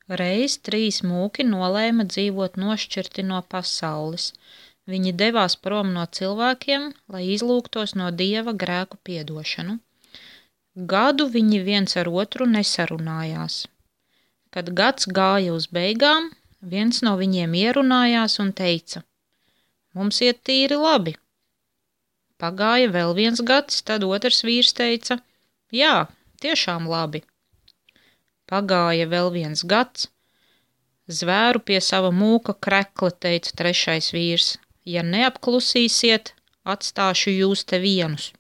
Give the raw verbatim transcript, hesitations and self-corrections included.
Reiz trīs mūki nolēma dzīvot nošķirti no pasaules. Viņi devās prom no cilvēkiem, lai izlūgtos no Dieva grēku piedošanu. Gadu viņi viens ar otru nesarunājās. Kad gads gāja uz beigām, viens no viņiem ierunājās un teica: Mums iet tīri labi. Pagāja vēl viens gads, tad otrs vīrs teica: Jā, tiešām labi. Pagāja vēl viens gads. Zvēru pie sava mūka krekla, teica trešais vīrs. Ja neapklusīsiet, atstāšu jūs te vienus.